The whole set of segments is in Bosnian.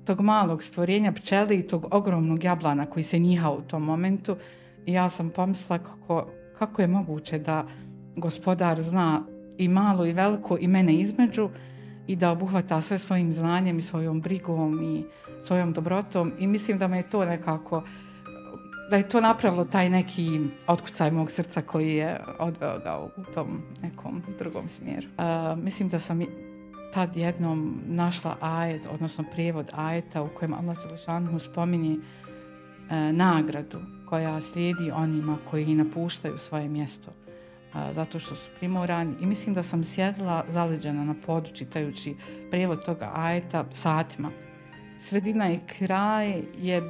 tog malog stvorenja pčeli i tog ogromnog jablana koji se njiha u tom momentu. I ja sam pomislila kako je moguće da Gospodar zna i malo i veliko i mene između i da obuhvata sve svojim znanjem i svojom brigom i svojom dobrotom. I mislim da me je to nekako, da je to napravilo taj neki otkucaj mog srca koji je odveo ga u tom nekom drugom smjeru. Mislim da sam tad jednom našla ajet, odnosno prijevod ajeta u kojem Allah dželešanu spominje nagradu koja slijedi onima koji napuštaju svoje mjesto zato što su primorani. I mislim da sam sjedila zaleđena na podu čitajući prijevod toga ajeta satima. Sredina i kraj je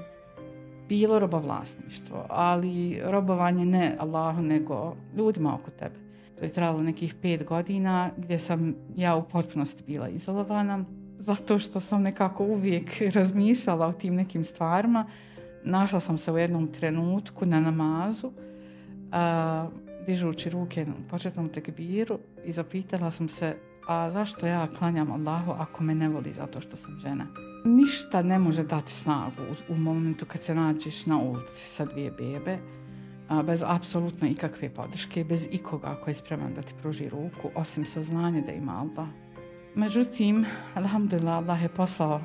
bilo robovlasništvo, ali robovanje ne Allahu nego ljudima oko tebe. To je trajalo nekih 5 godina gdje sam ja u potpunosti bila izolovana zato što sam nekako uvijek razmišljala o tim nekim stvarima. Našla sam se u jednom trenutku na namazu, dižući ruke na početnom tekbiru i zapitala sam se, a zašto ja klanjam Allahu ako me ne voli zato što sam žena? Ništa ne može dati snagu u momentu kad se nađeš na ulici sa 2 bebe, bez apsolutno ikakve podrške, bez ikoga koji je spreman da ti pruži ruku, osim saznanja da ima Allah. Međutim, alhamdulillah, Allah je poslao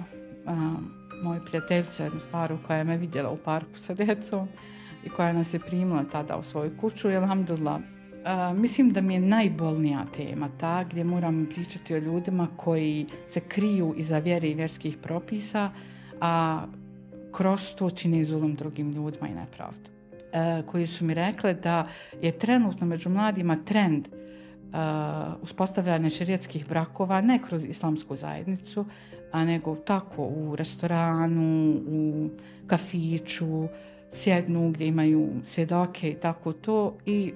moju prijateljicu, jednu staru koja je me vidjela u parku sa djecom i koja nas je primila tada u svoju kuću. I alhamdulillah, mislim da mi je najbolnija tema ta gdje moram pričati o ljudima koji se kriju iza vjere i vjerskih propisa, a kroz to čine zulum drugim ljudima i nepravdu. Koji su mi rekle da je trenutno među mladima trend uspostavljanja šerijatskih brakova ne kroz islamsku zajednicu, a nego tako u restoranu, u kafiću, sjednu gdje imaju svjedoke i tako to i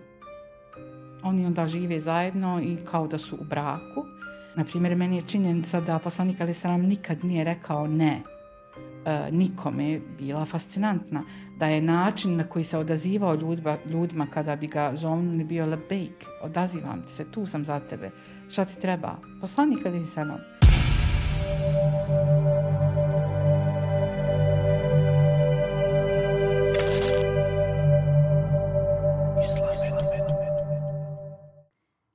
oni onda žive zajedno i kao da su u braku. Naprimjer, meni je činjenica da poslanik alejhi selam nikad nije rekao ne nikome bila fascinantna. Da je način na koji se odazivao ljudima kada bi ga zovnuli bio labejk, odazivam ti se, tu sam za tebe, šta ti treba? Poslanik alejhi selam.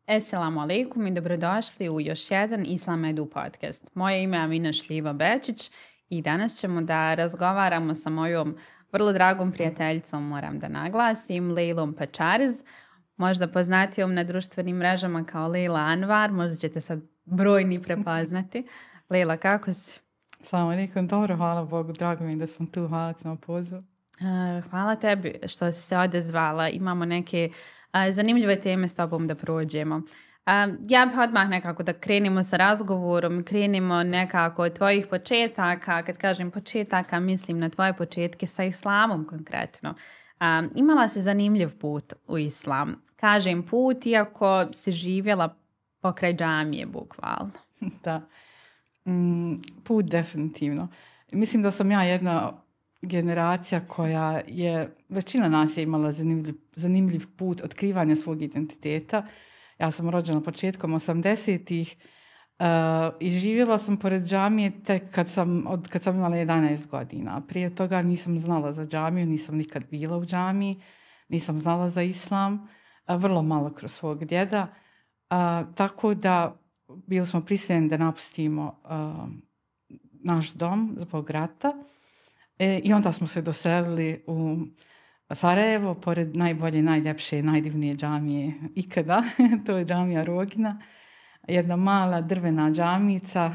Assalamu alaikum i dobrodošli u još jedan Islam Edu podcast. Moje ime je Amina Šljiva-Bečić i danas ćemo da razgovaramo sa mojom vrlo dragom prijateljicom, moram da naglasim, Lejlom Pečariz, možda poznatijom na društvenim mrežama kao Lejla Anvar, možda ćete sad brojni prepoznati. Lejla, kako si? Assalamu alaikum, dobro, hvala Bogu, drago mi da sam tu, hvala ti na pozivu. Hvala tebi što si se odazvala, imamo neke zanimljive teme s tobom da prođemo. Ja bih odmah nekako da krenemo sa razgovorom, krenemo nekako od tvojih početaka. Kad kažem početaka, mislim na tvoje početke sa islamom konkretno. Imala si zanimljiv put u islam. Kažem put, iako si živjela pokraj džamije, bukvalno. Da, put definitivno. Mislim da sam ja jedna generacija koja je, većina nas je imala zanimljiv put otkrivanja svog identiteta. Ja sam rođena početkom 80-ih i živjela sam pored džamije tek kad sam imala 11 godina. Prije toga nisam znala za džamiju, nisam nikad bila u džamiji, nisam znala za islam, vrlo malo kroz svog djeda. Tako da bili smo prisiljeni da napustimo naš dom zbog rata. I onda smo se doselili u Sarajevo, pored najbolje, najljepše, najdivnije džamije ikada. To je džamija Rogina. Jedna mala drvena džamica,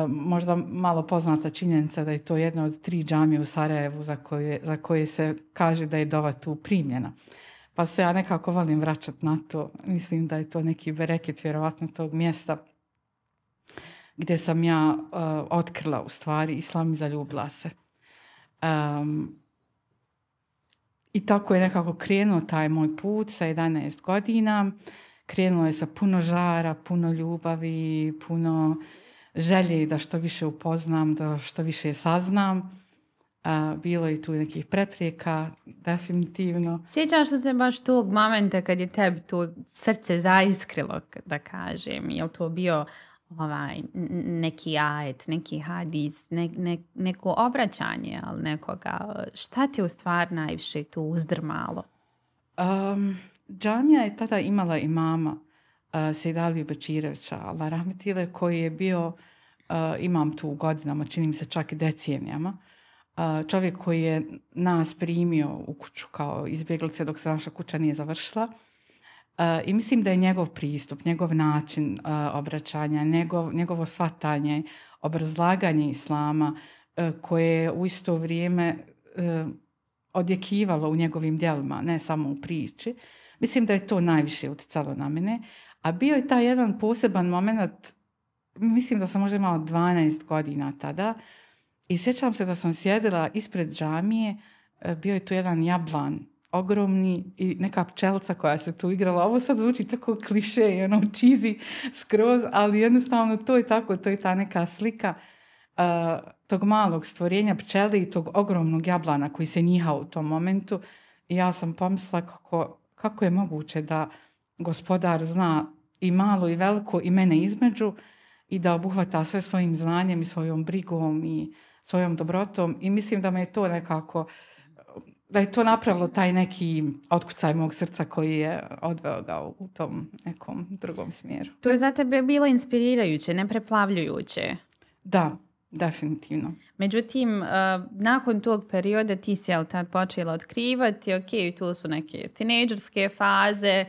možda malo poznata činjenica da je to jedna od 3 džamije u Sarajevu za koje se kaže da je dova tu primljena. Pa se ja nekako volim vraćati na to. Mislim da je to neki bereket vjerovatno tog mjesta gdje sam ja otkrila u stvari islam i zaljubila se. I tako je nekako krenuo taj moj put sa 11 godina. Krenuo je sa puno žara, puno ljubavi, puno želje da što više upoznam, da što više saznam. Bilo je tu nekih prepreka, definitivno. Sjećaš li se baš tog momenta kad je tebi to srce zaiskrilo, da kažem? Je li to bio neki ajet, neki hadis, neko obraćanje, ali nekoga. Šta ti u stvari najviše tu uzdrmalo? Džamija je tada imala imama Sejdaliju Bečirevića, Allah rahmetile, koji je bio imam tu godinama, čini mi se čak i decenijama. Čovjek koji je nas primio u kuću kao izbjeglice dok se naša kuća nije završila. I mislim da je njegov pristup, njegov način obraćanja, njegovo shvatanje, obrazlaganje islama koje je u isto vrijeme odjekivalo u njegovim djelima, ne samo u priči. Mislim da je to najviše utjecalo na mene. A bio je taj jedan poseban moment, mislim da sam možda imala 12 godina tada, i sjećam se da sam sjedila ispred džamije, bio je tu jedan jablan, ogromni, i neka pčelca koja se tu igrala. Ovo sad zvuči tako kliše i cheesy skroz, ali jednostavno to je tako, to je ta neka slika tog malog stvorenja pčele i tog ogromnog jablana koji se njiha u tom momentu. I ja sam pomislila kako je moguće da Gospodar zna i malo i veliko i mene između i da obuhvata sve svojim znanjem i svojom brigom i svojom dobrotom. I mislim da me je to nekako, da je to napravilo taj neki otkucaj mog srca koji je odveo ga u tom nekom drugom smjeru. To je za tebe bilo inspirirajuće, ne preplavljujuće. Da, definitivno. Međutim, nakon tog perioda ti si tad počela otkrivati, tu su neke tinejdžerske faze,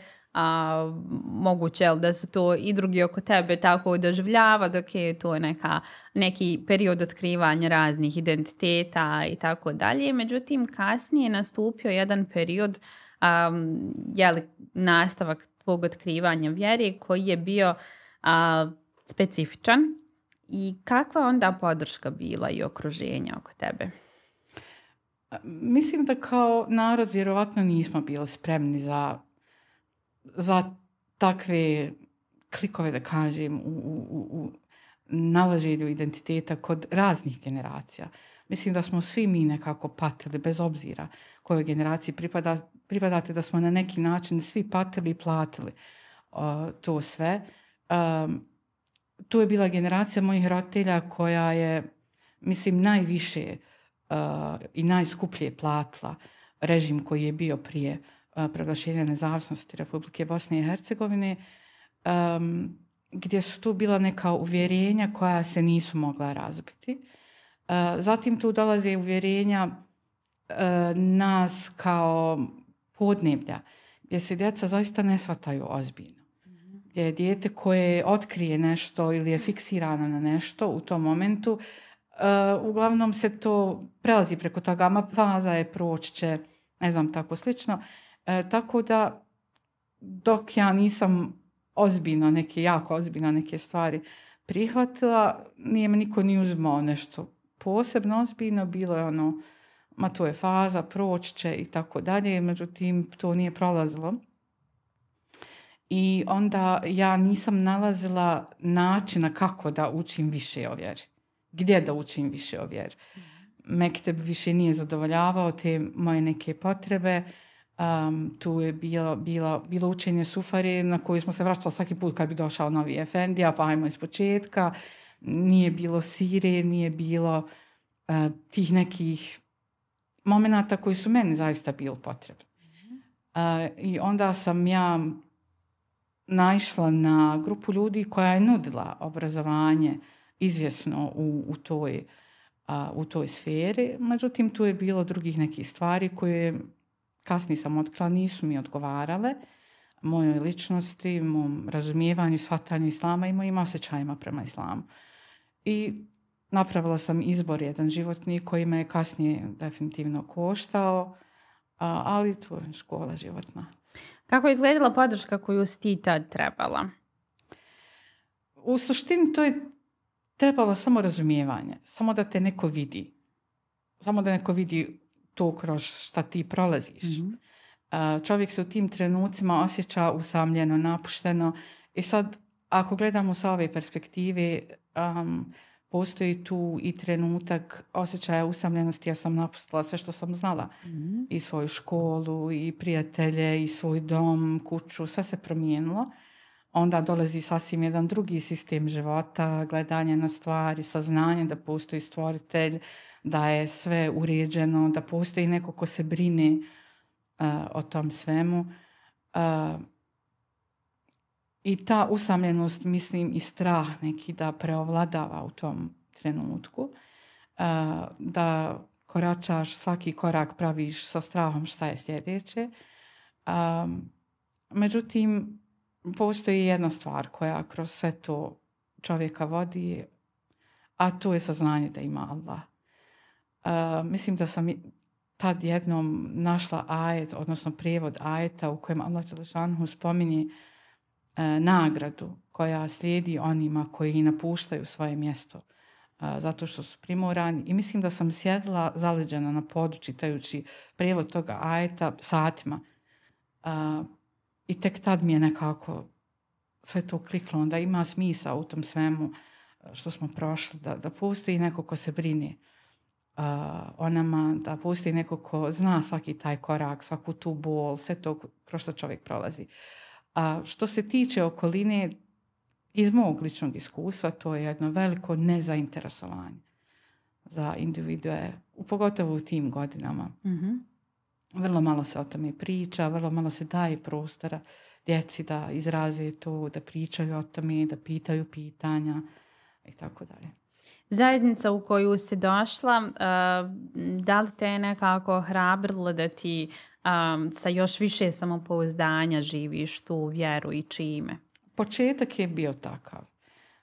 moguće da su to i drugi oko tebe tako doživljavati, to je neki period otkrivanja raznih identiteta i tako dalje. Međutim, kasnije je nastupio jedan period, nastavak tvog otkrivanja vjere koji je bio specifičan. I kakva onda podrška bila i okruženja oko tebe? Mislim da kao narod vjerovatno nismo bili spremni za takve klikove, da kažem, u nalaženju identiteta kod raznih generacija. Mislim da smo svi mi nekako patili, bez obzira kojoj generaciji pripadate, da smo na neki način svi patili i platili to sve. Tu je bila generacija mojih roditelja koja je, mislim, najviše i najskuplje platila režim koji je bio prije proglašenja nezavisnosti Republike Bosne i Hercegovine, gdje su tu bila neka uvjerenja koja se nisu mogla razbiti. Zatim tu dolaze uvjerenja nas kao podneblja, gdje se djeca zaista ne shvataju ozbiljno. Gdje je dijete koje otkrije nešto ili je fiksirano na nešto u tom momentu, uglavnom se to prelazi preko toga, faza je, proći će, ne znam, tako slično. Tako da dok ja nisam jako ozbiljno neke stvari prihvatila, nije me niko ni uzmao nešto posebno ozbiljno, bilo je to je faza, proći će i tako dalje, međutim to nije prolazilo. I onda ja nisam nalazila načina kako da učim više o vjeri. Gdje da učim više o vjeri. Mekteb više nije zadovoljavao te moje neke potrebe. Tu je bilo učenje Sufari na koju smo se vraćali svaki put kad bi došao novi efendija, pa ajmo iz početka. Nije bilo sire, nije bilo tih nekih momenata koji su meni zaista bili potrebni. I onda sam ja naišla na grupu ljudi koja je nudila obrazovanje izvjesno u toj sferi. Međutim, tu je bilo drugih nekih stvari koje kasnije sam otkrila, nisu mi odgovarale mojoj ličnosti, mom razumijevanju, shvatanju islama i mojim osjećajima prema islamu. I napravila sam izbor jedan životni koji me je kasnije definitivno koštao, ali to je škola životna. Kako je izgledala podrška koju si ti tad trebala? U suštini to je trebalo samo razumijevanje, samo da te neko vidi. Samo da neko vidi to kroz šta ti prolaziš. Čovjek se u tim trenucima osjeća usamljeno, napušteno. I sad, ako gledamo sa ove perspektive, postoji tu i trenutak osjećaja usamljenosti, jer sam napustila sve što sam znala. I svoju školu, i prijatelje, i svoj dom, kuću, sve se promijenilo. onda dolazi sasvim jedan drugi sistem života, gledanje na stvari, saznanje da postoji stvoritelj, da je sve uređeno, da postoji neko ko se brine o tom svemu. I ta usamljenost, mislim, i strah neki da preovladava u tom trenutku, da koračaš, svaki korak praviš sa strahom šta je sljedeće. Međutim, postoji jedna stvar koja kroz sve to čovjeka vodi, a to je saznanje da ima Allah. Mislim da sam tad jednom našla ajet, odnosno prijevod ajeta u kojem Allah dželešanohu spominje nagradu koja slijedi onima koji napuštaju svoje mjesto zato što su primorani. I mislim da sam sjedila zaleđena na podu čitajući prijevod toga ajeta satima. I tek tad mi je nekako sve to kliklo. Onda ima smisla u tom svemu što smo prošli. Da postoji neko ko se brine o nama, da postoji neko ko zna svaki taj korak, svaku tu bol, sve to kroz što čovjek prolazi. A što se tiče okoline, iz mog ličnog iskustva, to je jedno veliko nezainteresovanje za individue, pogotovo u tim godinama. Mm-hmm. Vrlo malo se o tome priča, vrlo malo se daje prostora djeci da izraze to, da pričaju o tome, da pitaju pitanja i tako dalje. Zajednica u koju si došla, da li te je nekako hrabrilo da ti sa još više samopouzdanja živiš tu vjeru i čime? Početak je bio takav.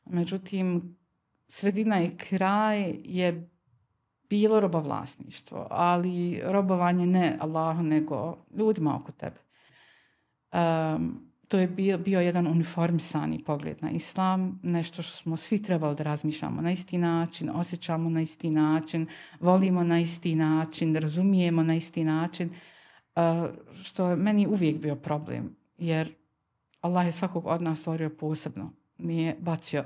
Međutim, sredina i kraj je bilo robovlasništvo, ali robovanje ne Allahu, nego ljudima oko tebe. To je bio jedan uniformisani pogled na islam, nešto što smo svi trebali da razmišljamo na isti način, osjećamo na isti način, volimo na isti način, razumijemo na isti način, što je meni uvijek bio problem, jer Allah je svakog od nas stvorio posebno. Nije bacio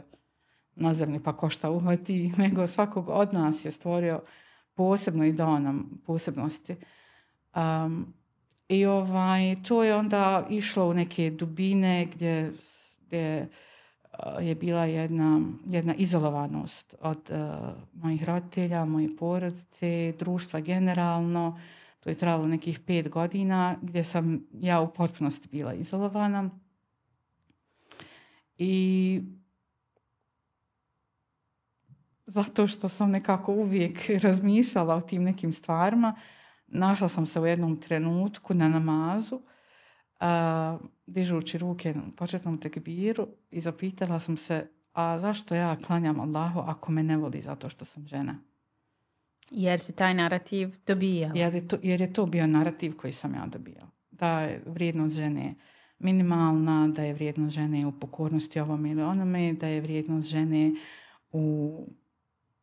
na zemlji pa ko šta uhvati, nego svakog od nas je stvorio posebno i dao nam posebnosti. I to je onda išlo u neke dubine gdje je bila jedna izolovanost od mojih roditelja, moje porodice, društva generalno. To je trajalo nekih 5 godina gdje sam ja u potpunosti bila izolovana. I zato što sam nekako uvijek razmišljala o tim nekim stvarima, našla sam se u jednom trenutku na namazu, dižući ruke na početnom tekbiru i zapitala sam se, a zašto ja klanjam Allahu ako me ne voli zato što sam žena? Jer si taj narativ dobijala. Jer je to bio narativ koji sam ja dobijala. Da je vrijednost žene minimalna, da je vrijednost žene u pokornosti ovom ili onome, da je vrijednost žene u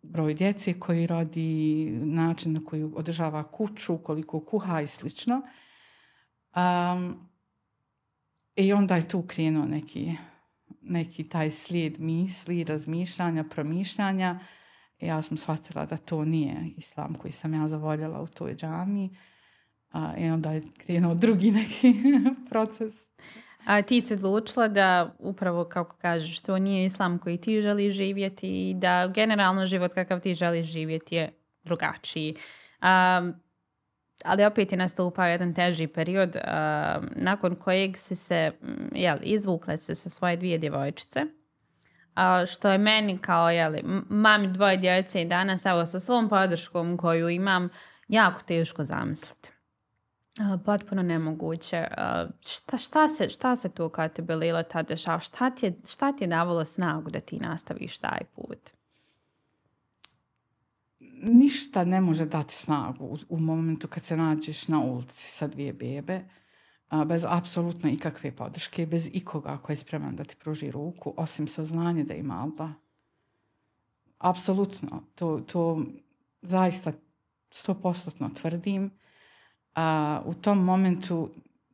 broj djece koji rodi, način na koji održava kuću, koliko kuha i slično. I onda je tu krenuo neki taj slijed misli, razmišljanja, promišljanja. Ja sam shvatila da to nije islam koji sam ja zavoljela u toj džamiji. I onda je krenuo drugi neki proces. A ti si odlučila da upravo, kako kažeš, to nije islam koji ti želiš živjeti i da generalno život kakav ti želiš živjeti je drugačiji. Ali opet je nastupao jedan teži period nakon kojeg si se izvukla se sa svoje 2 djevojčice. Što je meni kao mami 2 djece i danas sa svom podrškom koju imam jako teško zamisliti. Potpuno nemoguće. Šta se tu kad te Belila tad dešava? Šta ti je davalo snagu da ti nastaviš taj put? Ništa ne može dati snagu u momentu kad se nađeš na ulici sa 2 bebe, bez apsolutno ikakve podrške, bez ikoga koji je spreman da ti pruži ruku, osim saznanja da ima Allah. Apsolutno. To zaista 100% tvrdim. U tom momentu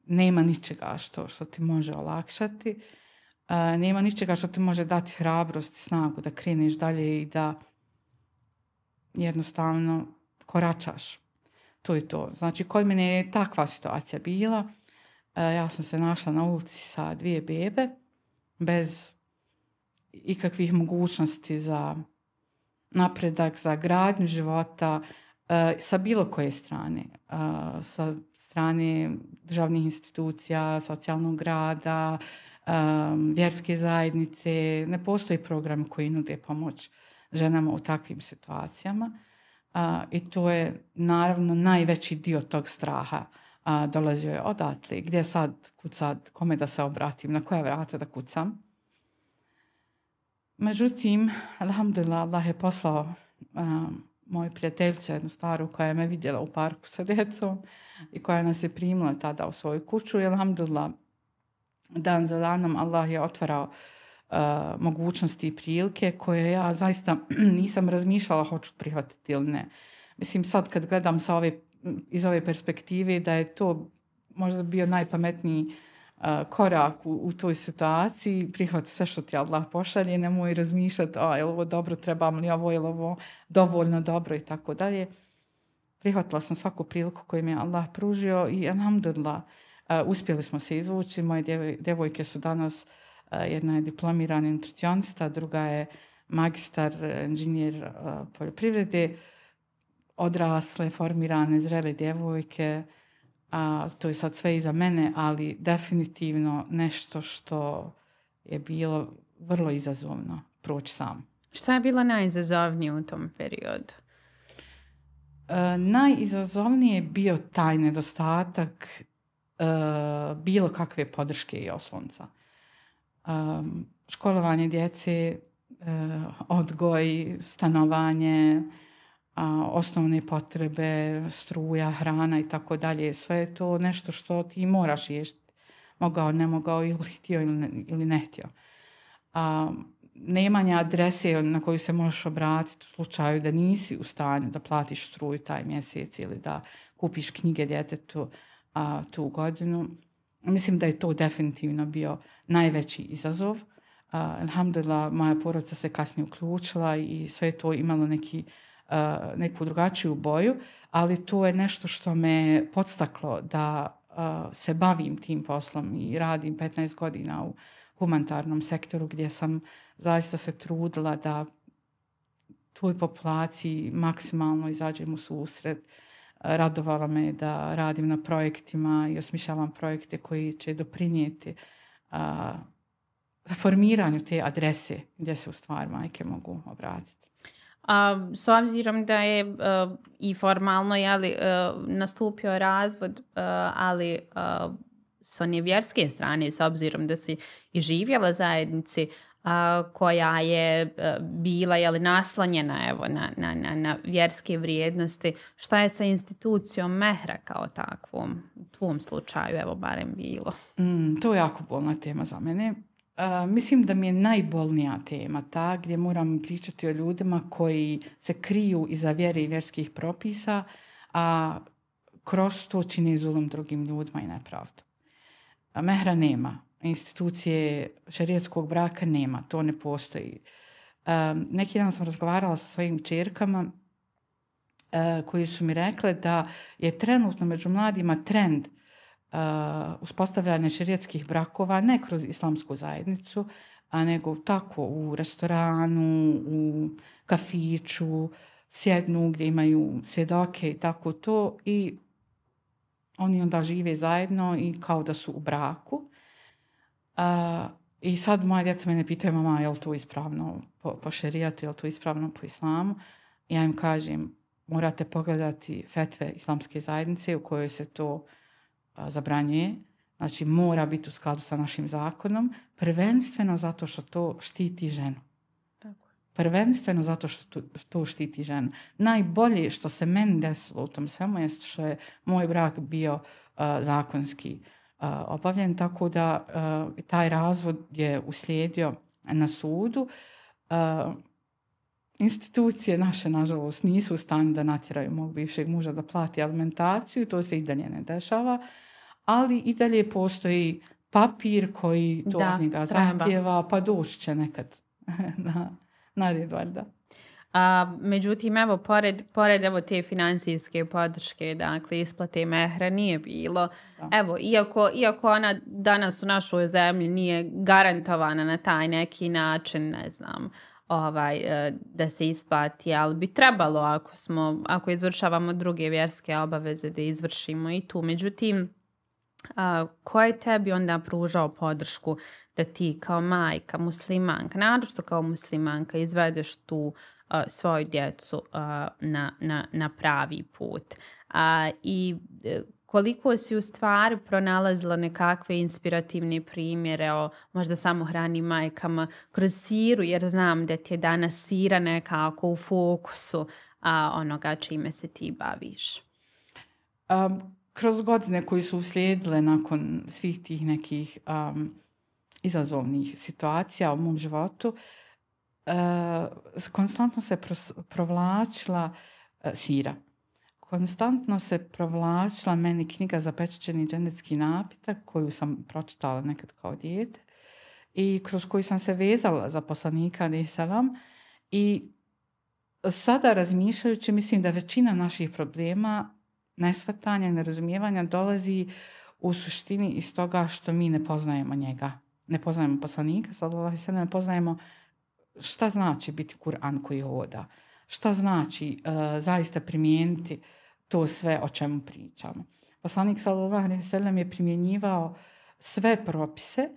nema ničega što ti može olakšati. Nema ničega što ti može dati hrabrost, snagu da kreneš dalje i da jednostavno koračaš. To je to. Znači, kod mene je takva situacija bila. Ja sam se našla na ulici sa 2 bebe bez ikakvih mogućnosti za napredak, za gradnju života sa bilo koje strane. Sa strane državnih institucija, socijalnog rada, vjerske zajednice. Ne postoji program koji nude pomoć ženama u takvim situacijama. I to je naravno najveći dio tog straha. Dolazio je odatle. Gdje sad, kud sad, kome da se obratim, na koja vrata da kucam. Međutim, alhamdulillah, Allah je poslao moju prijateljicu, jednu staru, koja je me vidjela u parku sa djecom i koja nas je primila tada u svoju kuću. I alhamdulillah, dan za danom Allah je otvarao mogućnosti i prilike koje ja zaista nisam razmišljala hoću prihvatiti ili ne. Mislim, sad kad gledam iz ove perspektive da je to možda bio najpametniji korak u toj situaciji, prihvati sve što ti Allah pošalje, nemoj razmišljati je li ovo dobro, trebam li ovo, je li ovo dovoljno dobro i tako dalje. Prihvatila sam svaku priliku koju mi je Allah pružio i alhamdulillah uspjeli smo se izvući. Moje djevojke su danas, jedna je diplomirani nutricionista, druga je magistar, inženjer poljoprivrede, odrasle, formirane, zrele djevojke. To je sad sve iza mene, ali definitivno nešto što je bilo vrlo izazovno proći sam. Šta je bilo najizazovnije u tom periodu? Najizazovnije je bio taj nedostatak bilo kakve podrške i oslonca. Školovanje djece, odgoj, stanovanje, osnovne potrebe, struja, hrana i tako dalje. Sve je to nešto što ti moraš riješiti. Mogao, ne mogao, ili htio ili ne htio. Nemanje adrese na koju se možeš obratiti u slučaju da nisi u stanju da platiš struju taj mjesec ili da kupiš knjige djetetu tu godinu. Mislim da je to definitivno bio najveći izazov. Alhamdulillah, moja porodica se kasnije uključila i sve to imalo neku drugačiju boju, ali to je nešto što me podstaklo da se bavim tim poslom i radim 15 godina u humanitarnom sektoru gdje sam zaista se trudila da toj populaciji maksimalno izađem u susret. Radovalo me da radim na projektima i osmišljavam projekte koji će doprinijeti za formiranju te adrese gdje se u stvari majke mogu obratiti. S obzirom da je i formalno nastupio razvod, ali s one vjerske strane, s obzirom da si i živjela zajednici koja je bila naslonjena na vjerske vrijednosti, šta je sa institucijom mehra kao takvom? U tvom slučaju, barem bilo. To je jako bolna tema za mene. Mislim da mi je najbolnija tema ta gdje moram pričati o ljudima koji se kriju iza vjere i vjerskih propisa, a kroz to čini zulum drugim ljudima i nepravdu. Mehra nema. Institucije šerijatskog braka nema. To ne postoji. Neki dan sam razgovarala sa svojim kćerkama koji su mi rekle da je trenutno među mladima trend uspostavljanje šerijatskih brakova ne kroz islamsku zajednicu, nego tako u restoranu, u kafiću, sjednu gdje imaju svjedoke i tako to i oni onda žive zajedno i kao da su u braku. I sad moja djeca mene pitaju, mama, je li to ispravno po šerijatu, je li to ispravno po islamu? Ja im kažem, morate pogledati fetve islamske zajednice u kojoj se to zabranjuje. Znači, mora biti u skladu sa našim zakonom, prvenstveno zato što to štiti ženu. Tako. Prvenstveno zato što to štiti ženu. Najbolje što se meni desilo u tom svemu je što je moj brak bio zakonski obavljen, tako da taj razvod je uslijedio na sudu. Institucije naše, nažalost, nisu u stanju da natjeraju mog bivšeg muža da plati alimentaciju, to se i dalje ne dešava, ali i dalje postoji papir koji to od njega zahtjeva, pa doći će nekad na red, valjda. Međutim, evo, pored evo te financijske podrške, dakle, isplate mehra nije bilo. Da. Evo, iako ona danas u našoj zemlji nije garantovana na taj neki način, ne znam, da se isplati, ali bi trebalo ako izvršavamo druge vjerske obaveze da izvršimo i tu. Međutim, ko je tebi onda pružao podršku da ti kao majka, muslimanka, naročito kao muslimanka, izvedeš tu svoju djecu na pravi put? I koliko si u stvari pronalazila nekakve inspirativne primjere o možda samohranim majkama kroz siru, jer znam da ti je danas sira nekako u fokusu onoga čime se ti baviš. Kroz godine koji su uslijedile nakon svih tih nekih izazovnih situacija u mom životu, konstantno se provlačila sira. Konstantno se provlačila meni knjiga Zapečaćeni džennetski napitak koju sam pročitala nekad kao dijete i kroz koju sam se vezala za poslanika alejhi selam. I sada razmišljajući, mislim da većina naših problema, neshvatanja i nerazumijevanja dolazi u suštini iz toga što mi ne poznajemo njega. Ne poznajemo poslanika, ne poznajemo šta znači biti Kur'an koji hoda. Šta znači zaista primijeniti to sve o čemu pričamo. Poslanik sallallahu alejhi ve sellem je primjenjivao sve propise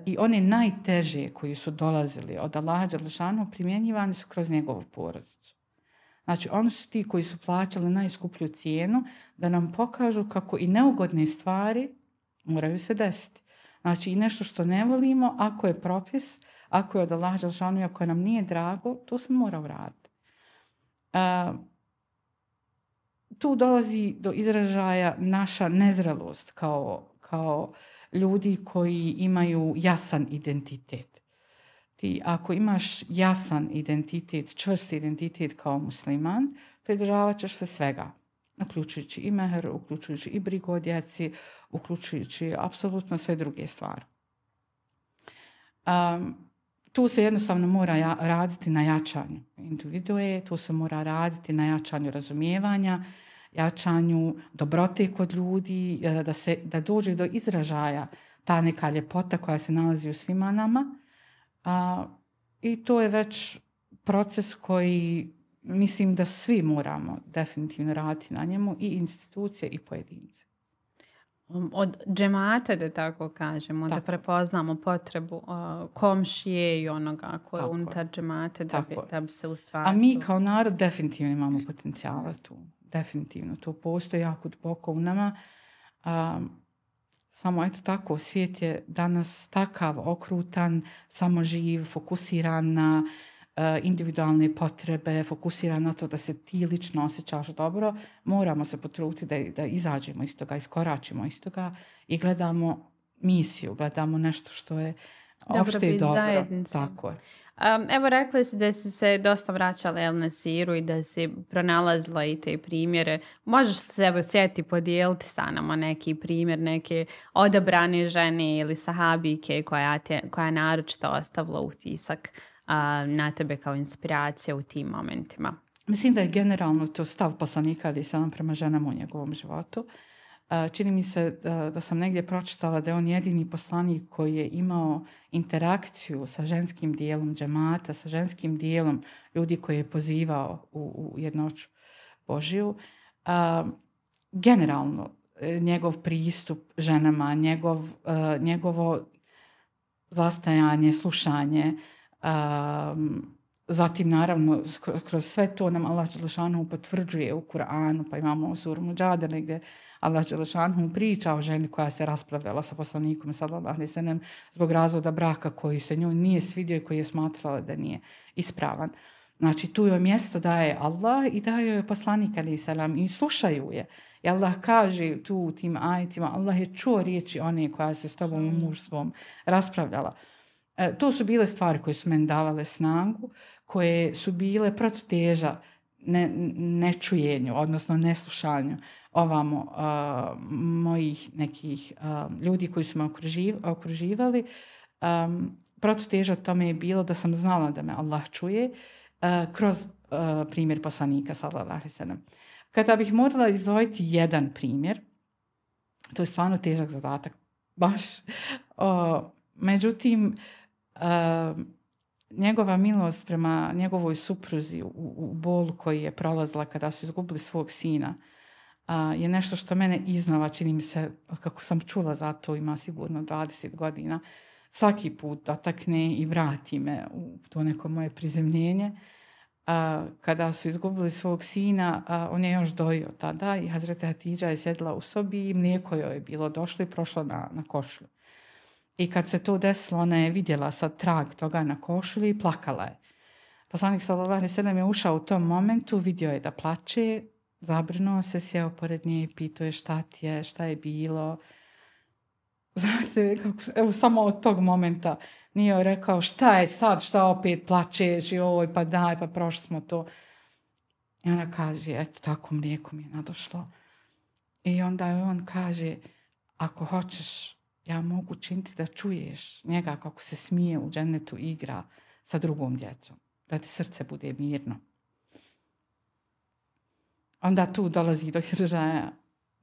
i one najteže koji su dolazili od Allaha dželle šanuhu primjenjivani su kroz njegovu porodicu. Znači, oni su ti koji su plaćali najskuplju cijenu da nam pokažu kako i neugodne stvari moraju se desiti. Znači, i nešto što ne volimo, ako je propis, ako je od Allaha dželle šanuhu, ako nam nije drago, to se mora uraditi. Tu dolazi do izražaja naša nezrelost kao ljudi koji imaju jasan identitet. Ti ako imaš jasan identitet, čvrst identitet kao musliman, pridržavat ćeš se svega, uključujući i mehr, uključujući i brigu o djeci, uključujući apsolutno sve druge stvari. Tu se jednostavno mora raditi na jačanju individue, tu se mora raditi na jačanju razumijevanja, jačanju dobrote kod ljudi, da dođe do izražaja ta neka ljepota koja se nalazi u svima nama. I to je već proces koji mislim da svi moramo definitivno raditi na njemu, i institucije i pojedinci. Od džemata, da tako kažemo, da prepoznamo potrebu komšije i onoga koje je unutar džemata da bi se ustvarilo. A mi kao narod definitivno imamo potencijala tu. Definitivno. To postoji jako duboko u nama. Samo eto tako, svijet je danas takav okrutan, samoživ, fokusiran na individualne potrebe, fokusiran na to da se ti lično osjećaš dobro. Moramo se potruditi da izađemo iz toga, iskoračimo iz toga i gledamo misiju, gledamo nešto što je opšte i dobro. Zajednici. Tako je. Evo, rekli si da si se dosta vraćala na siru i da si pronalazila i te primjere. Možeš se evo sjeti podijeliti sa nama neki primjer, neke odabrane žene ili sahabike koja je naročito ostavila utisak na tebe kao inspiracija u tim momentima? Mislim da je generalno to stav poslanika alejhi selam prema ženama u njegovom životu. Čini mi se da sam negdje pročitala da je on jedini poslanik koji je imao interakciju sa ženskim dijelom džemata, sa ženskim dijelom ljudi koji je pozivao u jednoću Božiju. Generalno, njegov pristup ženama, njegovo zastajanje, slušanje, zatim naravno kroz sve to nam Allah dželle šanuhu potvrđuje u Kur'anu, pa imamo suru Muđadele gdje Allah dželle šanuhu priča o ženi koja se raspravljala sa poslanikom sallallahu alejhi ve sellem zbog razvoda braka koji se njoj nije svidio i koji je smatrala da nije ispravan. Znači, tu joj mjesto daje Allah i daje joj poslanik alejhi selam i slušaju je. I Allah kaže tu u tim ajetima, Allah je čuo riječi one koja se s tobom u mužstvom raspravljala. To su bile stvari koje su meni davale snagu, koje su bile protuteža nečujenju, odnosno neslušanju ovamo mojih nekih ljudi koji su me okruživali. Protuteža tome je bilo da sam znala da me Allah čuje kroz primjer poslanika sallallahu alejhi ve sellem. Kada bih morala izdvojiti jedan primjer, to je stvarno težak zadatak, baš. Međutim, njegova milost prema njegovoj supruzi u bolu koji je prolazila kada su izgubili svog sina je nešto što mene iznova, čini mi se, kako sam čula za to, ima sigurno 20 godina, svaki put dotakne i vrati me u to neko moje prizemljenje. Kada su izgubili svog sina, on je još dojio tada i Hazreti Hatidža je sjedila u sobi i mlijeko joj je bilo došlo i prošlo na košulju. I kad se to desilo, ona je vidjela sad trag toga na košulji i plakala je. Poslanik sallallahu alejhi ve sellem je ušao u tom momentu, vidio je da plače, zabrinuo se, sjeo pored nje i pitao je šta ti je, šta je bilo. Znate, evo samo od tog momenta nije joj rekao šta je sad, šta opet plačeš i oj pa daj, pa prošli smo to. I ona kaže, eto tako mlijeko mi je nadošlo. I onda on kaže, ako hoćeš, ja mogu činiti da čuješ njega kako se smije u džennetu igra sa drugom djecom, da ti srce bude mirno. Onda tu dolazi do izražaja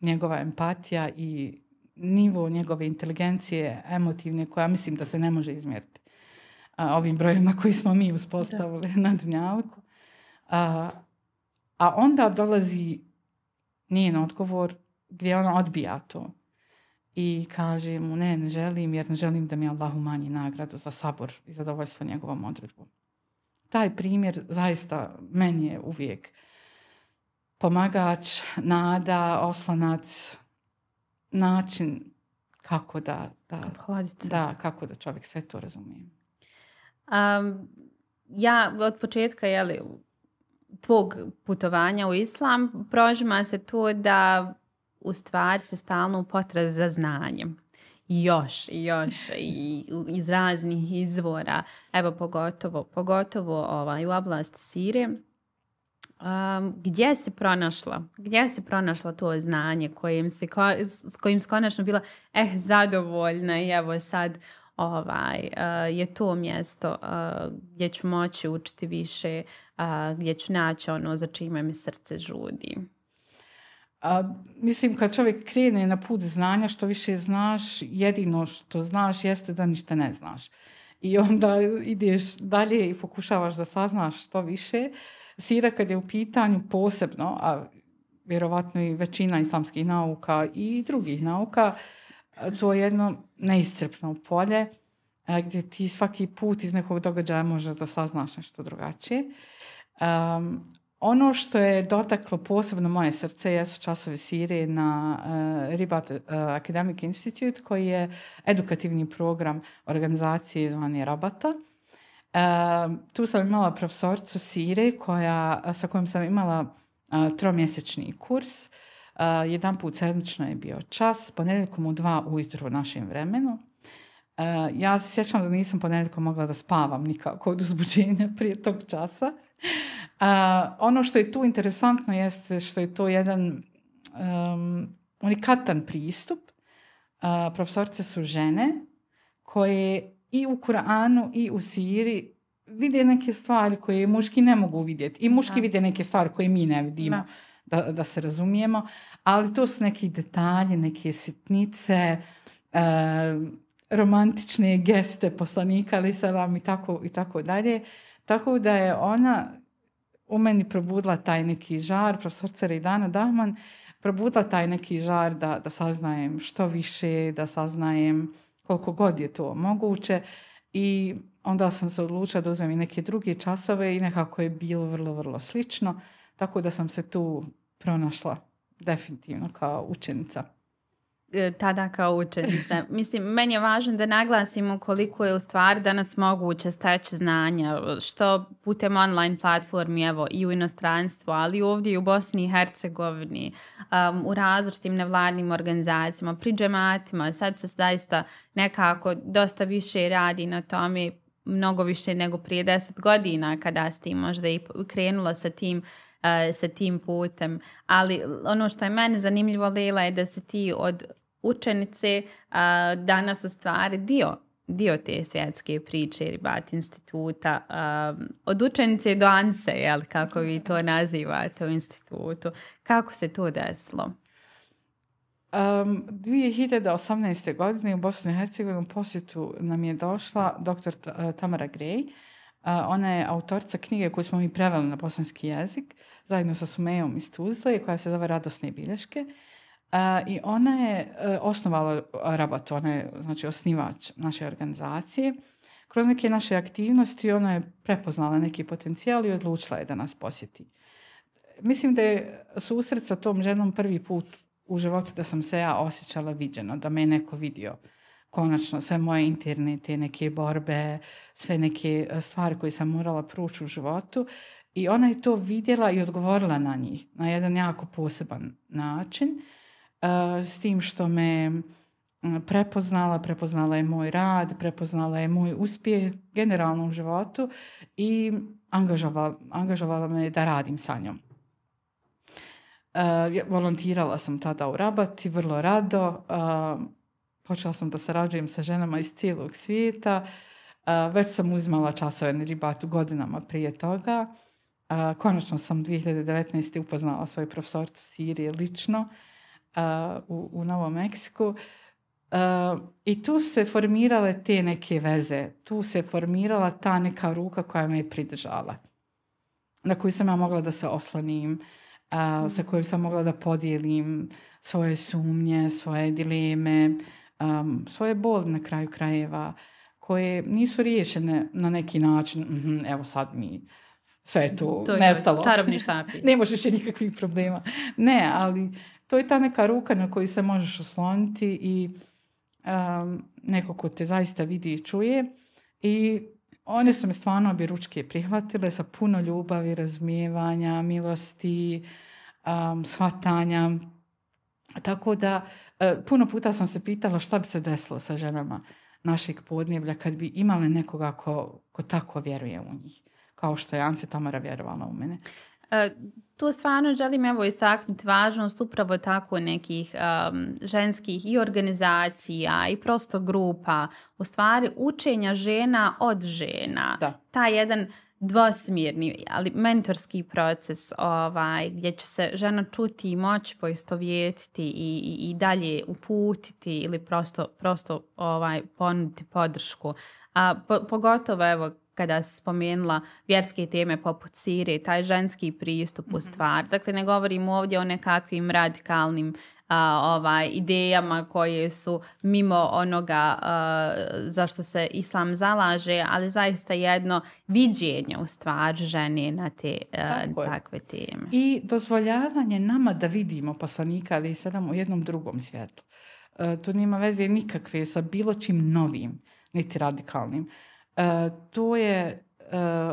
njegova empatija i nivo njegove inteligencije emotivne, koja mislim da se ne može izmjeriti ovim brojima koji smo mi uspostavili na dunjalku. A onda dolazi njen odgovor gdje ona odbija to i kaže mu ne želim, jer ne želim da mi Allah umanji nagradu za sabor i zadovoljstvo njegovom odredbom. Taj primjer zaista meni je uvijek pomagač, nada, oslonac, način kako kako da čovjek sve to razumije. Ja od početka tvog putovanja u islam prožima se to da u stvari se stalno u potrazi za znanjem. Još i iz raznih izvora, evo pogotovo u oblasti sire. Gdje si pronašla to znanje s kojim si konačno bila zadovoljna i evo sad je to mjesto gdje ću moći učiti više, gdje ću naći ono za čime mi srce žudi. Mislim, kad čovjek krene na put znanja, što više znaš, jedino što znaš jeste da ništa ne znaš. I onda ideš dalje i pokušavaš da saznaš što više. Sira kad je u pitanju posebno, a vjerovatno i većina islamskih nauka i drugih nauka, to je jedno neiscrpno polje gdje ti svaki put iz nekog događaja možeš da saznaš nešto drugačije. Ono što je dotaklo posebno moje srce jesu časovi sire na Ribat Academic Institute, koji je edukativni program organizacije zvane Rabata. Tu sam imala profesoricu sire sa kojom sam imala 3-mjesečni kurs. Jedan put sedmično je bio čas, ponedjeljkom u 2 ujutro u našem vremenu. Ja se sjećam da nisam ponedjeljkom mogla da spavam nikako od uzbuđenja prije tog časa. Ono što je tu interesantno jeste što je to jedan unikatan pristup. Profesorice su žene koje i u Kur'anu i u siri vide neke stvari koje muški ne mogu vidjeti. I muški vide neke stvari koje mi ne vidimo, da se razumijemo. Ali to su neki detalji, neke sitnice, romantične geste poslanika, ali salam i tako dalje. Tako da je ona u meni probudila taj neki žar, profesorica Rejdana Dahman, probudila taj neki žar da saznajem što više, da saznajem koliko god je to moguće. I onda sam se odlučila da uzmem i neke druge časove i nekako je bilo vrlo, vrlo slično. Tako da sam se tu pronašla definitivno kao učenica. Tada kao učenica. Mislim, meni je važno da naglasimo koliko je u stvari danas moguće steći znanja, što putem online platformi, evo, i u inostranstvu, ali ovdje i u Bosni i Hercegovini, u različitim nevladnim organizacijama, pri džematima. Sad se zaista nekako dosta više radi na tome, mnogo više nego prije 10 godina kada si možda i krenula sa tim putem. Ali ono što je meni zanimljivo, Lela, je da si ti od učenice danas u stvari dio dio te svjetske priče Ribat instituta, od učenice do Anse, jel, kako vi to nazivate u institutu. Kako se to desilo? 2018. godine u Bosnu i Hercegovinu posjetu nam je došla dr. Tamara Grej. Ona je autorica knjige koju smo mi preveli na bosanski jezik, zajedno sa Sumejom iz Tuzle, koja se zove Radosne bilješke. I ona je osnovala Rabat, ona je znači osnivač naše organizacije. Kroz neke naše aktivnosti ona je prepoznala neki potencijal i odlučila je da nas posjeti. Mislim da je susret sa tom ženom prvi put u životu da sam se ja osjećala viđeno, da me je neko vidio. Konačno, sve moje interne te neke borbe, sve neke stvari koje sam morala proći u životu. I ona je to vidjela i odgovorila na njih na jedan jako poseban način. S tim što me prepoznala je moj rad, prepoznala je moj uspjeh generalno u životu i angažovala me da radim sa njom. Volontirala sam tada u Rabati, vrlo rado. Počela sam da sarađujem sa ženama iz cijelog svijeta. Već sam uzimala časove na Ribatu godinama prije toga. Konačno sam 2019. upoznala svoju profesorcu Sirije lično u Novom Meksiku. I tu se formirale te neke veze. Tu se formirala ta neka ruka koja me je pridržala. Na koju sam ja mogla da se oslonim. Sa kojom sam mogla da podijelim svoje sumnje, svoje dileme, svoje boli na kraju krajeva, koje nisu riješene na neki način. Evo sad mi sve je tu nestalo. Čarobni štapić. Ne možeš nikakvih problema. Ne, ali to je ta neka ruka na koju se možeš osloniti i neko ko te zaista vidi i čuje. I one su me stvarno objeručke prihvatile sa puno ljubavi, razumijevanja, milosti, shvatanja. Tako da puno puta sam se pitala šta bi se desilo sa ženama našeg podneblja kad bi imale nekoga ko tako vjeruje u njih. Kao što je Anse Tamara vjerovala u mene. Tu stvarno želim istaknuti važnost upravo tako nekih ženskih i organizacija i prosto grupa, u stvari učenja žena od žena. Da. Taj jedan dvosmjerni, ali mentorski proces gdje će se žena čuti i moći poistovjetiti i dalje uputiti ili prosto ponuditi podršku. Pogotovo evo kada se spomenula vjerske teme poput Sirije, taj ženski pristup u stvar. Dakle, ne govorimo ovdje o nekakvim radikalnim idejama koje su mimo onoga za što se islam zalaže, ali zaista jedno viđenje u stvar žene na te takve teme. I dozvoljavanje nama da vidimo poslanika, ali i u jednom drugom svjetlu. To nema veze nikakve sa bilo čim novim, niti radikalnim. To je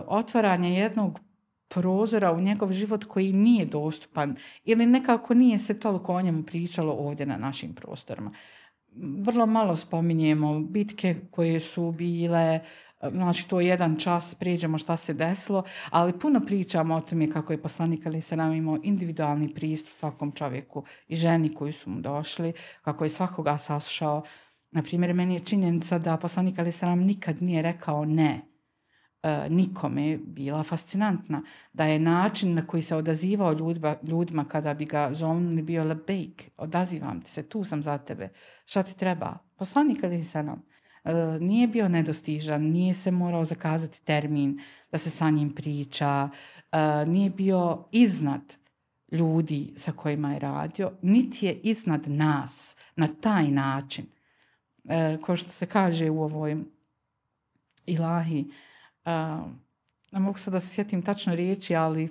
otvaranje jednog prozora u njegov život koji nije dostupan ili nekako nije se toliko o njemu pričalo ovdje na našim prostorima. Vrlo malo spominjemo bitke koje su bile, znači to jedan čas prijeđemo šta se desilo, ali puno pričamo o tome kako je poslanik ali se nam imao individualni pristup svakom čovjeku i ženi koji su mu došli, kako je svakoga saslušao. Naprimjer, meni je činjenica da poslanik ali se nam nikad nije rekao ne. Nikome bila fascinantna. Da je način na koji se odazivao ljudima kada bi ga zovnuli bio labejk. Odazivam ti se, tu sam za tebe. Šta ti treba? Poslanik ali se nam nije bio nedostižan, nije se morao zakazati termin da se sa njim priča, nije bio iznad ljudi sa kojima je radio, niti je iznad nas na taj način. Kao što se kaže u ovoj ilahi, ne mogu sad da se sjetim tačno riječi, ali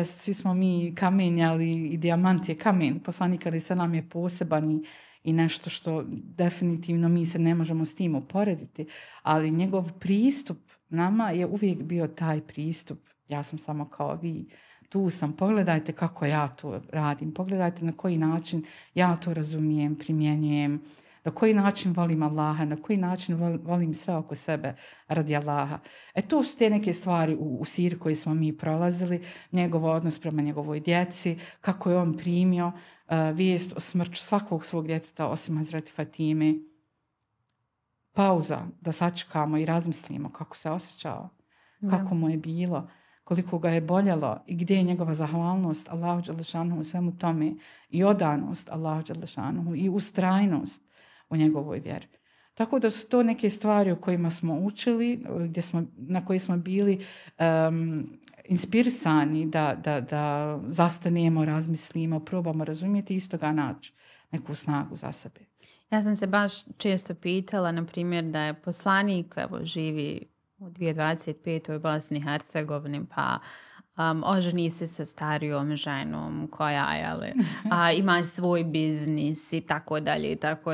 svi smo mi kamenja, ali i dijamant je kamen. Poslanik ali se nam je poseban i nešto što definitivno mi se ne možemo s tim uporediti, ali njegov pristup nama je uvijek bio taj pristup. Ja sam samo kao vi, tu sam, pogledajte kako ja to radim, pogledajte na koji način ja to razumijem, primjenjujem, na koji način volim Allaha, na koji način volim sve oko sebe radi Allaha. To su te neke stvari u Siriji koje smo mi prolazili, njegov odnos prema njegovoj djeci, kako je on primio vijest o smrću svakog svog djeteta osim Hazreti Fatime. pauza da sačekamo i razmislimo kako se osjećao, kako mu je bilo, koliko ga je boljelo i gdje je njegova zahvalnost Allahu dželle u svemu tome i odanost Allahu dželle i ustrajnost u njegovoj vjeri. Tako da su to neke stvari o kojima smo učili, na koje smo bili inspirisani da zastanemo, razmislimo, probamo razumjeti i iz toga naći neku snagu za sebe. Ja sam se baš često pitala, na primjer, da je poslanik živi u 2025. u Bosni i Hercegovini, pa oženi se sa starijom ženom koja ima svoj biznis i tako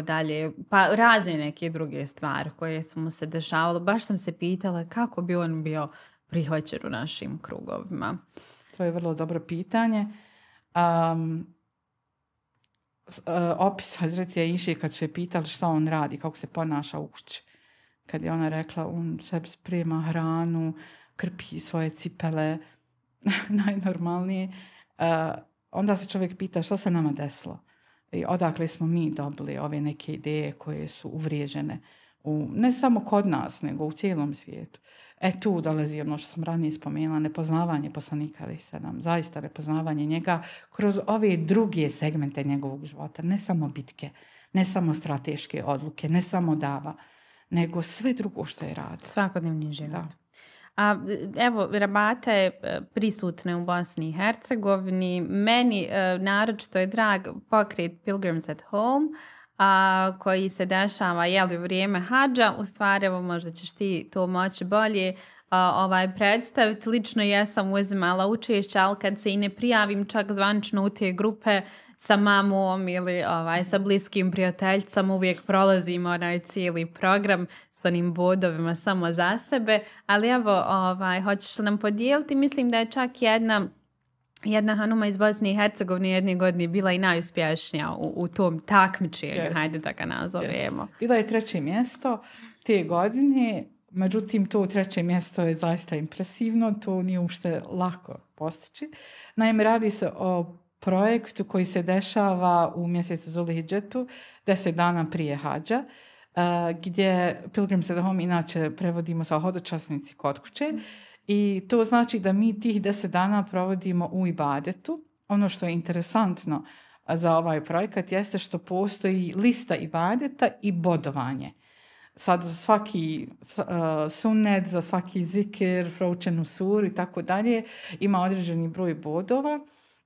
dalje, pa razne neke druge stvari koje su mu se dešavalo. Baš sam se pitala kako bi on bio prihvaćen u našim krugovima. To je vrlo dobro pitanje. Opis Hazreti Aiše kad su je pitali šta on radi, kako se ponaša u kući. Kad je ona rekla, on sebi sprema hranu, krpi svoje cipele, najnormalnije. Onda se čovjek pita šta se nama desilo. I odakle smo mi dobili ove neke ideje koje su uvriježene ne samo kod nas, nego u cijelom svijetu. Tu dolazi ono što sam ranije spomenula, nepoznavanje poslanika alejhi selam, zaista nepoznavanje njega kroz ove druge segmente njegovog života, ne samo bitke, ne samo strateške odluke, ne samo dava, nego sve drugo što je radio. Svakodnevni život. Da. A evo, rabata je prisutna u Bosni i Hercegovini. Meni naročito je drag pokret Pilgrims at Home, koji se dešava u vrijeme hadža. U stvari, evo, možda ćeš ti to moći bolje predstaviti. Lično ja sam uzimala učešće, ali kad se i ne prijavim čak zvanično u te grupe sa mamom ili sa bliskim prijateljicama, uvijek prolazimo onaj cijeli program s onim bodovima samo za sebe. Ali evo, hoćeš li nam podijeliti? Mislim da je čak jedna hanuma iz Bosne i Hercegovine jedne godine bila i najuspješnija u tom takmičenju, hajde da ga nazovemo. Bila je 3. mjesto te godine, međutim to 3. mjesto je zaista impresivno, to nije uopšte lako postići. Naime, radi se o projektu koji se dešava u mjesecu Zulhidžetu, 10 dana prije hadža, gdje Pilgrims at Home inače prevodimo sa hodočasnici kod kuće. I to znači da mi tih 10 dana provodimo u ibadetu. Ono što je interesantno za ovaj projekat jeste što postoji lista ibadeta i bodovanje. Sad za svaki sunnet, za svaki zikir, proučenu suru i tako dalje ima određeni broj bodova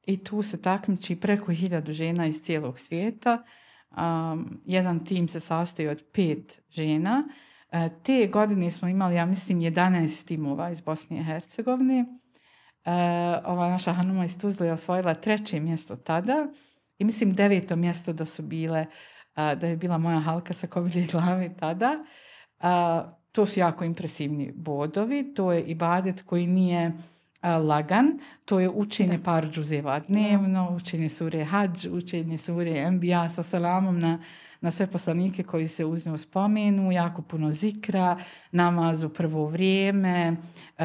i tu se takmiči preko 1000 žena iz cijelog svijeta. Jedan tim se sastoji od 5 žena. Te godine smo imali, ja mislim, 11 timova iz Bosne i Hercegovine. Ova naša hanuma iz Tuzle je osvojila 3. mjesto tada i mislim 9. mjesto da je bila moja halka sa kobilje glave tada. To su jako impresivni bodovi. To je ibadet koji nije lagan. To je učenje par džuzeva dnevno, učenje sure Hadž, učenje sure Enbija sa selamom na sve poslanike koji se uz nju spomenu, jako puno zikra, namaz u prvo vrijeme,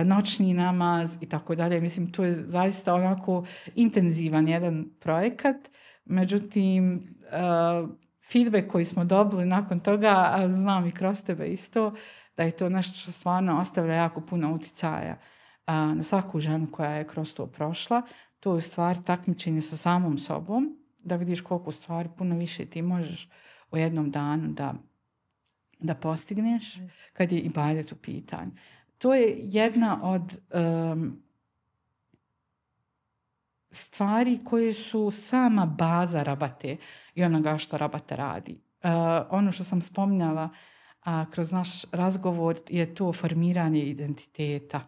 noćni namaz i tako dalje. Mislim, to je zaista onako intenzivan jedan projekat. Međutim, feedback koji smo dobili nakon toga, a znam i kroz tebe isto, da je to nešto što stvarno ostavlja jako puno uticaja na svaku ženu koja je kroz to prošla. To je u stvari takmičenje sa samom sobom, da vidiš koliko stvari puno više ti možeš u jednom danu da postigneš kad je ibadet u pitanju. To je jedna od stvari koje su sama baza rabate i onoga što rabata radi. Ono što sam spominjala kroz naš razgovor je to formiranje identiteta.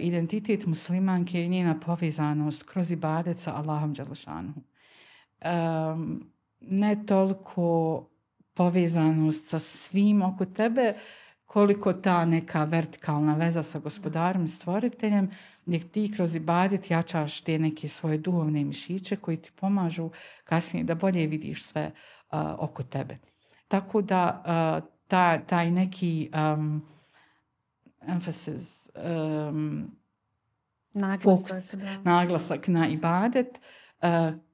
Identitet muslimanke i njena povezanost kroz ibadet sa Allahom dželešanuhu. Ne toliko povezanost sa svim oko tebe, koliko ta neka vertikalna veza sa gospodarom i stvoriteljem, gdje ti kroz ibadet jačaš te neke svoje duhovne mišiće koji ti pomažu kasnije da bolje vidiš sve oko tebe. Tako da taj neki emphasis, naglasak na ibadet,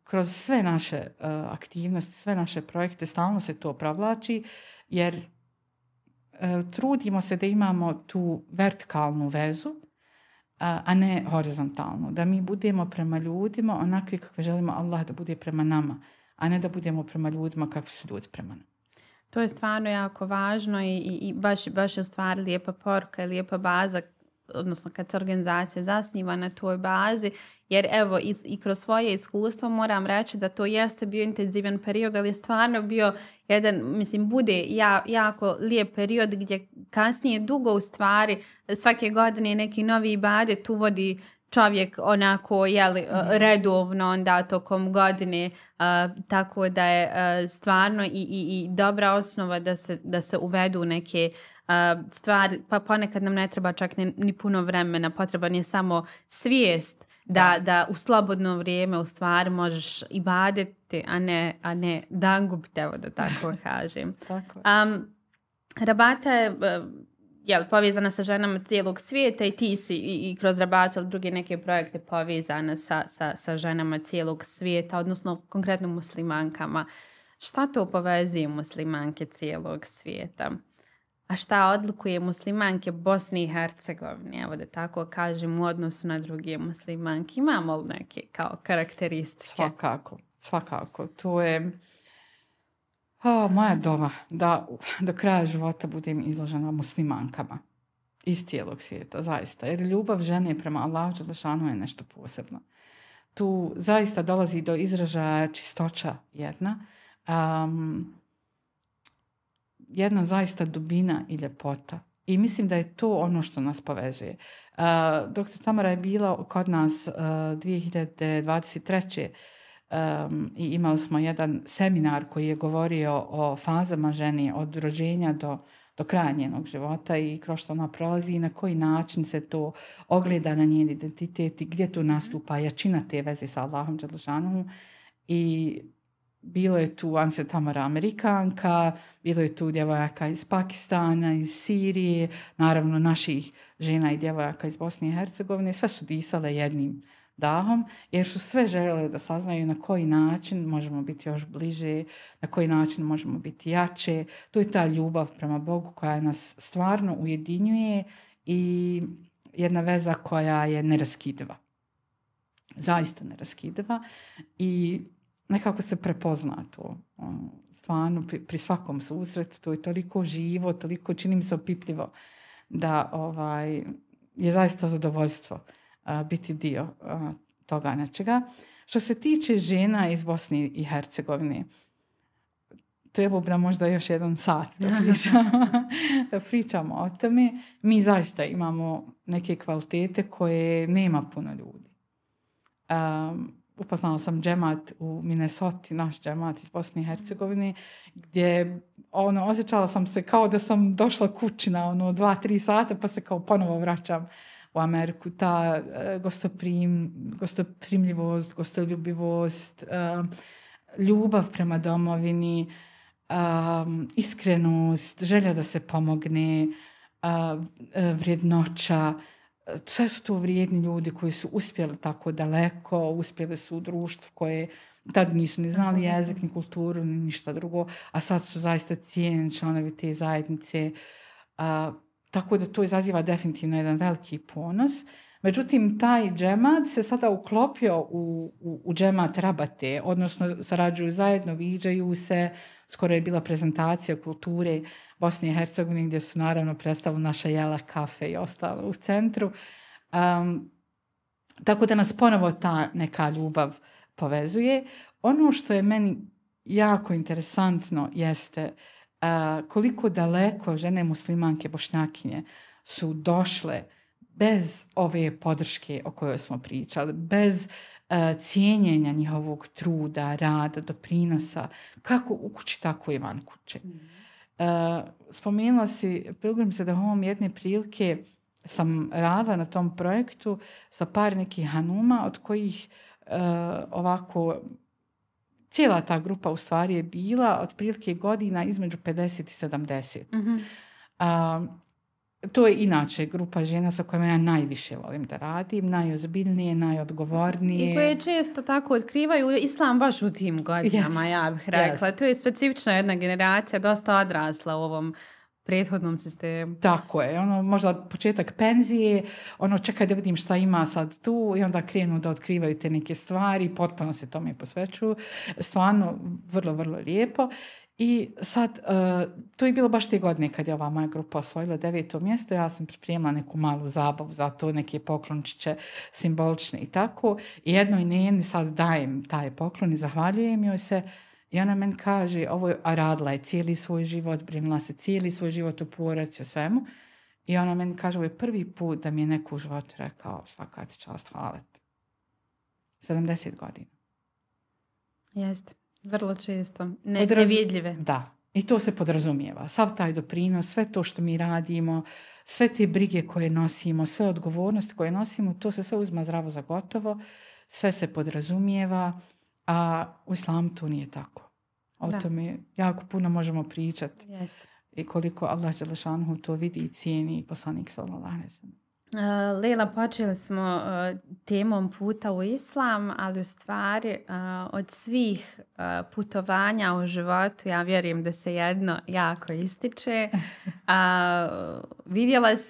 kroz sve naše aktivnosti, sve naše projekte, stalno se to provlači, jer trudimo se da imamo tu vertikalnu vezu, a ne horizontalnu. Da mi budemo prema ljudima onakvi kakve želimo Allah da bude prema nama, a ne da budemo prema ljudima kakvi su ljudi prema nama. To je stvarno jako važno i baš je u stvari lijepa poruka i lijepa baza, odnosno kad se organizacija zasniva na toj bazi, jer evo i kroz svoje iskustvo moram reći da to jeste bio intenzivan period, ali je stvarno bio jedan, mislim, bude jako lijep period gdje kasnije dugo u stvari svake godine neki novi ibadet uvodi čovjek onako redovno onda tokom godine, tako da je stvarno i dobra osnova da se uvedu neke stvari, pa ponekad nam ne treba čak ni puno vremena, potreban je samo svijest da u slobodno vrijeme u stvari možeš ibadeti, a ne dangubiti, evo da tako kažem. Tako. Rabata je povezana sa ženama cijelog svijeta i ti si i kroz Rabatu ili druge neke projekte povezana sa ženama cijelog svijeta, odnosno konkretno muslimankama. Šta to povezuje muslimanke cijelog svijeta? A šta odlikuje muslimanke Bosne i Hercegovine, evo da tako kažem, u odnosu na druge muslimanke? Imamo li neke kao karakteristike? Svakako. To je moja dova da do kraja života budem izložena muslimankama iz cijelog svijeta, zaista. Jer ljubav žene prema Allahu dželešanu je nešto posebno. Tu zaista dolazi do izražaja čistoća jedna zaista dubina i ljepota. I mislim da je to ono što nas povezuje. Dr. Tamara je bila kod nas 2023. I imali smo jedan seminar koji je govorio o fazama žene od rođenja do kraja njenog života i kroz što ona prolazi i na koji način se to ogleda na njen identitet i gdje tu nastupa jačina te veze sa Allahom dželešanuhu. I bilo je tu Anse Tamara Amerikanka, bilo je tu djevojaka iz Pakistana, iz Sirije, naravno naših žena i djevojaka iz Bosne i Hercegovine. Sve su disale jednim dahom, jer su sve željele da saznaju na koji način možemo biti još bliže, na koji način možemo biti jače. To je ta ljubav prema Bogu koja nas stvarno ujedinjuje i jedna veza koja je neraskidiva. Zaista neraskidiva i nekako se prepozna to. Stvarno pri svakom susretu to je toliko živo, toliko čini mi se opipljivo da je zaista zadovoljstvo biti dio toga nečega. Što se tiče žena iz Bosne i Hercegovine, treba bi nam možda još jedan sat da pričamo o tome. Mi zaista imamo neke kvalitete koje nema puno ljudi. Upoznala sam džemat u Minnesoti, naš džemat iz Bosne i Hercegovine, gdje osjećala sam se kao da sam došla kući na 2-3 sata pa se kao ponovo vraćam u Ameriku. Ta gostoprimljivost, gostoljubivost, ljubav prema domovini, iskrenost, želja da se pomogne, vrijednoća. Sve su to vrijedni ljudi koji su uspjeli tako daleko, uspjeli su u društvu koje tad nisu ni znali jezik, ni kulturu, ni ništa drugo, a sad su zaista cijenjeni članovi te zajednice. Tako da to izaziva definitivno jedan veliki ponos. Međutim, taj džemat se sada uklopio u džemat Rabate, odnosno sarađuju zajedno, viđaju se. Skoro je bila prezentacija kulture Bosne i Hercegovine gdje su naravno predstavili naša jela, kafe i ostalo u centru. Tako da nas ponovo ta neka ljubav povezuje. Ono što je meni jako interesantno jeste koliko daleko žene muslimanke bošnjakinje su došle bez ove podrške o kojoj smo pričali, bez cijenjenja njihovog truda, rada, doprinosa, kako u kući, tako i van kuće. Spomenula si, Pilgrim se da ovom jedne prilike sam radila na tom projektu sa par nekih hanuma, od kojih cijela ta grupa u stvari je bila otprilike godina između 50 i 70. To je inače grupa žena sa kojima ja najviše volim da radim, najozbiljnije, najodgovornije. I koje često tako otkrivaju islam baš u tim godinama, ja bih rekla. To je specifična jedna generacija, dosta odrasla u ovom prethodnom sistemu. Tako je, možda početak penzije, čekaj da vidim šta ima sad tu i onda krenu da otkrivaju te neke stvari, potpuno se tome posvećuju. Stvarno, vrlo, vrlo lijepo. I sad, to je bilo baš te godine kad je ova moja grupa osvojila 9. mjesto. Ja sam pripremila neku malu zabavu za to, neke poklončiće simbolične i tako. I jednoj njeni sad dajem taj poklon i zahvaljujem joj se. I ona meni kaže, a radila je cijeli svoj život, brinula se cijeli svoj život u porodici, o svemu. I ona meni kaže, ovo je prvi put da mi je neko u životu rekao, svaka ti čast, hvala ti. 70 godina. Jeste. Vrlo često. Nevidljive. Da. I to se podrazumijeva. Sav taj doprinos, sve to što mi radimo, sve te brige koje nosimo, sve odgovornosti koje nosimo, to se sve uzma zdravo za gotovo. Sve se podrazumijeva, a u islamu to nije tako. O tome jako puno možemo pričati. Jeste. I koliko Allah dželešanuhu to vidi i cijeni i poslanik sallallahu alejhi ve sellem. Lejla, počeli smo temom puta u islam, ali u stvari od svih putovanja u životu ja vjerujem da se jedno jako ističe.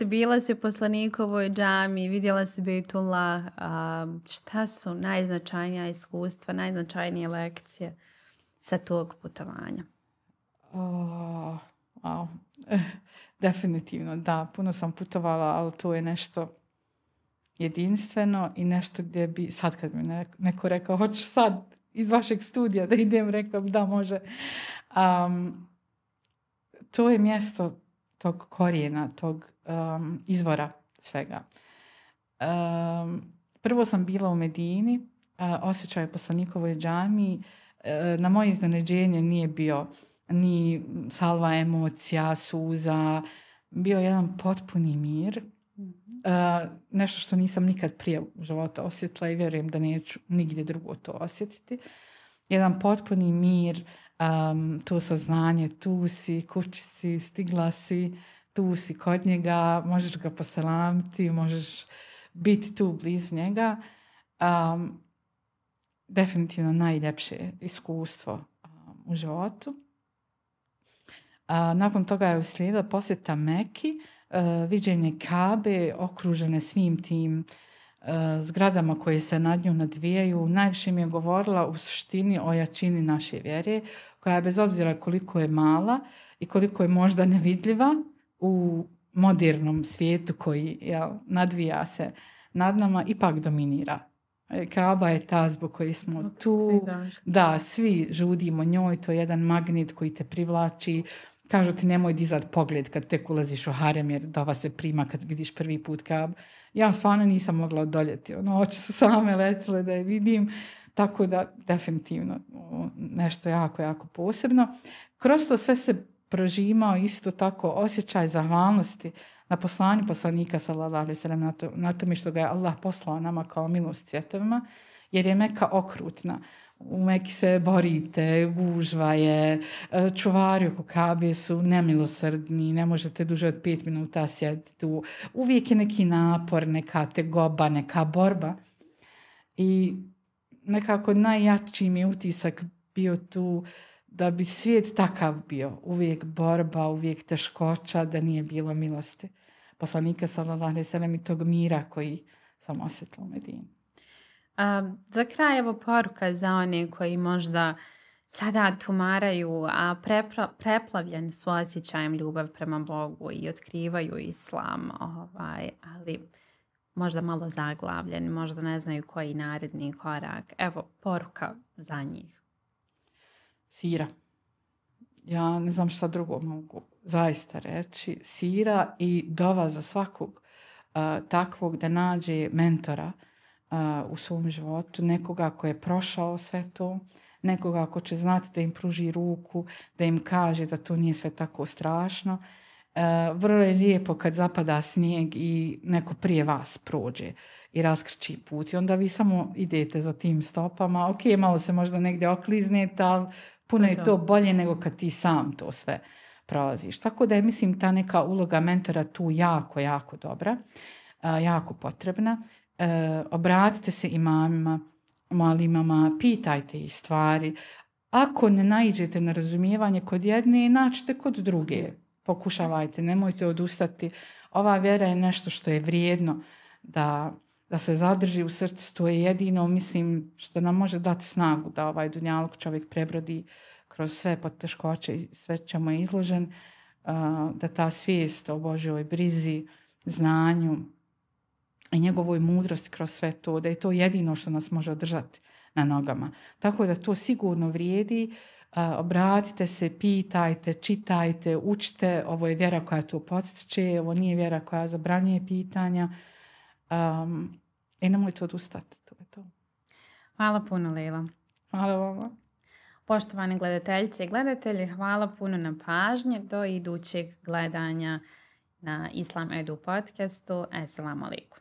Bila si u poslanikovoj džami, vidjela si Bejtullah. Šta su najznačajnija iskustva, najznačajnije lekcije sa tog putovanja? Wow. Definitivno, da. Puno sam putovala, ali to je nešto jedinstveno i nešto gdje bi, sad kad mi neko rekao, hoćeš sad iz vašeg studija da idem, rekla bi da može. To je mjesto tog korijena, tog izvora svega. Prvo sam bila u Medini, osjećaj poslanikovoj džami. Na moje iznenađenje nije bio ni salva emocija, suza, bio jedan potpuni mir. Nešto što nisam nikad prije u životu osjetila i vjerujem da neću nigdje drugo to osjetiti. Jedan potpuni mir, to saznanje, tu si, kući si, stigla si, tu si kod njega, možeš ga poselamiti, možeš biti tu blizu njega. Definitivno najljepše iskustvo u životu. Nakon toga je uslijedila posjeta Meki, viđenje Kabe okružene svim tim zgradama koje se nad njom nadvijaju. Najviše mi je govorila u suštini o jačini naše vjere, koja je bez obzira koliko je mala i koliko je možda nevidljiva u modernom svijetu koji nadvija se nad nama, ipak dominira. Kaaba je ta zbog koje smo tu. Da, svi žudimo njoj, to je jedan magnet koji te privlači. Kažu ti nemoj dizat pogled kad tek ulaziš u harem jer dova se prima kad vidiš prvi put Kaabu. Ja stvarno nisam mogla odoljeti. Oči su same letile da je vidim. Tako da definitivno nešto jako, jako posebno. Kroz to sve se prožimao isto tako osjećaj zahvalnosti na poslanju poslanika sallallahu alejhi ve sellem, na tome što ga je Allah poslao nama kao milost svjetovima, jer je Meka okrutna. U Meki se borite, gužva je, čuvari oko Kabe su nemilosrdni, ne možete duže od 5 minuta sjediti tu. Uvijek je neki napor, neka tegoba, neka borba. I nekako najjači mi je utisak bio tu da bi svijet takav bio. Uvijek borba, uvijek teškoća, da nije bilo milosti poslanika sallallahu alejhi ve sellem i tog mira koji sam osjetila u Medini. Za kraj evo poruka za one koji možda sada tumaraju, a preplavljeni su osjećajem ljubav prema Bogu i otkrivaju islam, ali možda malo zaglavljeni, možda ne znaju koji naredni korak. Evo poruka za njih. Sira. Ja ne znam šta drugo mogu zaista reći. Sira i dova za svakog takvog da nađe mentora u svom životu, nekoga ko je prošao sve to, nekoga ko će znati da im pruži ruku, da im kaže da to nije sve tako strašno. Vrlo je lijepo kad zapada snijeg i neko prije vas prođe i raskrči put i onda vi samo idete za tim stopama. Ok, malo se možda negdje okliznete, ali puno je to bolje nego kad ti sam to sve prolaziš. Tako da je, mislim, ta neka uloga mentora tu jako, jako dobra, jako potrebna. Obratite se imamima, mualimama, pitajte ih stvari. Ako ne naiđete na razumijevanje kod jedne, nađite kod druge. pokušavajte, nemojte odustati. Ova vjera je nešto što je vrijedno da se zadrži u srcu. To je jedino, mislim, što nam može dati snagu da ovaj dunjaluk čovjek prebrodi kroz sve poteškoće i sve čemu je izložen, da ta svijest o Božjoj brizi, znanju i njegovoj mudrosti kroz sve to, da je to jedino što nas može održati na nogama. Tako da to sigurno vrijedi. Obratite se, pitajte, čitajte, učite. Ovo je vjera koja to podstiče, ovo nije vjera koja zabranjuje pitanja. I nemojte odustati. To je to. Hvala puno, Lejla. Hvala vama. Poštovane gledateljice i gledatelji, hvala puno na pažnji. Do idućeg gledanja na Islam Edu podcastu. Assalamu alaikum.